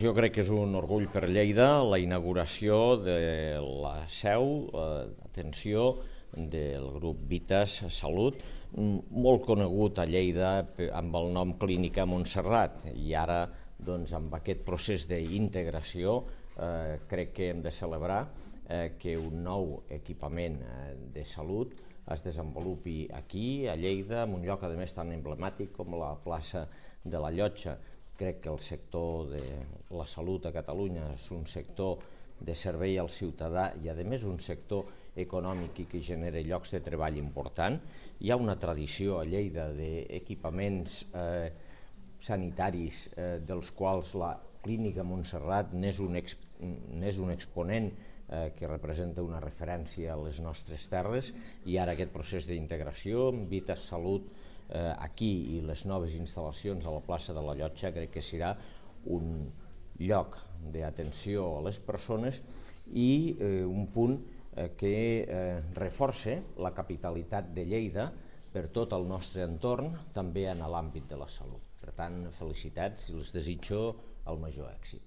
Jo crec que és un orgull per Lleida la inauguració de la seu d'atenció del grup Vitas Salut, molt conegut a Lleida amb el nom Clínica Montserrat, i ara amb aquest procés d'integració crec que hem de celebrar que un nou equipament de salut es desenvolupi aquí, a Lleida, en un lloc a més tan emblemàtic com la plaça de la Llotja. Crec que el sector de la salut a Catalunya és un sector de servei al ciutadà i a més un sector econòmic i que genera llocs de treball important. Hi ha una tradició a Lleida d'equipaments sanitaris dels quals la Clínica Montserrat n'és un exponent que representa una referència a les nostres terres, i ara aquest procés d'integració amb Vitas Salut aquí i les noves instal·lacions a la plaça de la Llotja crec que serà un lloc d'atenció a les persones i un punt que reforça la capitalitat de Lleida per tot el nostre entorn, també en l'àmbit de la salut. Per tant, felicitats i els desitjo el major èxit.